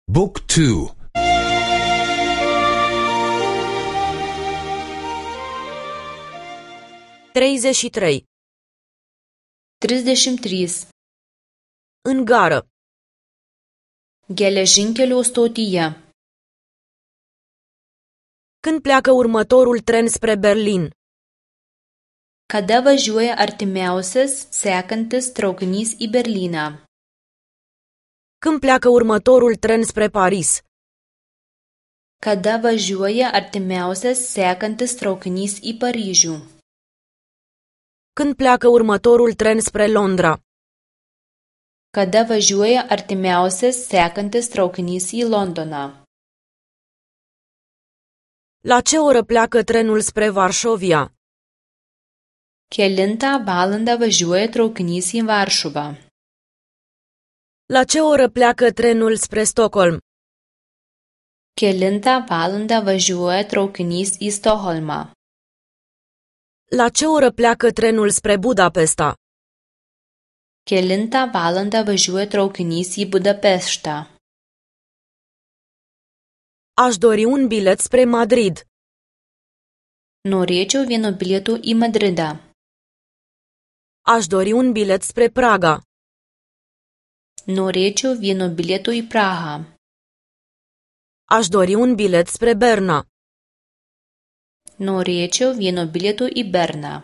Book 2. 33. 33. În gară. Geležinkelio stotyje. Când pleacă următorul tren spre Berlin? Kada važiuoja artimiausias sekantis traukinys į Berlyną? Când pleacă următorul tren spre Paris? Kada važiuoja artimiausias sekantis traukinys į Paryžių? Când pleacă următorul tren spre Londra? Kada važiuoja artimiausias sekantis traukinys į Londoną? La ce oră pleacă trenul spre Varšovia? Kelintą valandą važiuoja traukinys į Varšuvą? La ce oră pleacă trenul spre Stockholm? Kelintą valandą važiuoja traukinys į Stokholmą? La ce oră pleacă trenul spre Budapesta? Kelintą valandą važiuoja traukinys į Budapeštą? Aș dori un bilet spre Madrid. Norėčiau vieno bilieto į Madridą. Aș dori un bilet spre Praga. Norėčiau vieno bilieto į Prahą. Aș dori un bilet spre Berna. Norėčiau vieno bilieto į Berną.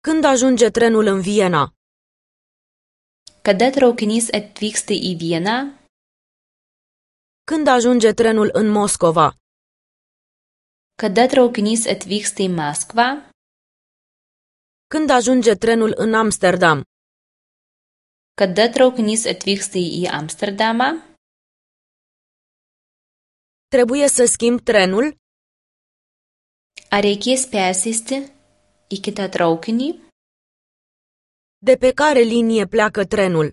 Când ajunge trenul în Viena? Kada traukinys atvyksta į Vieną? Când ajunge trenul în Moscova? Kada traukinys atvyksta į Maskvą? Când ajunge trenul în Amsterdam? Kada traukinys atvyksta į Amsterdamą? Trebuie să schimb trenul? Ar reikės persėsti į kitą traukinį? De pe care linie pleacă trenul?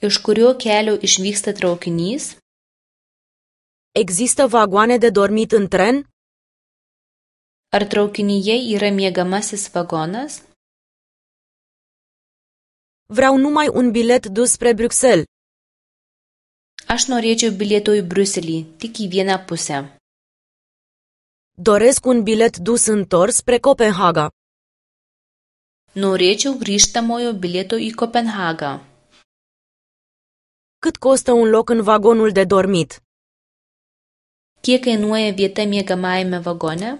Iš kurio kelio išvyksta traukinys? Există vagoane de dormit în tren? Ar traukinyje yra miegamasis vagonas? Vreau numai un bilet dus spre Bruxelles. Aš norėčiau bilieto į Briuselį, tik į vieną pusę. Doresc un bilet dus întors spre Copenhaga. Norėčiau grįžtamojo bilieto į Kopenhagą. Cât costă un loc în vagonul de dormit? Kiek kainuoja vieta miegamajame vagone?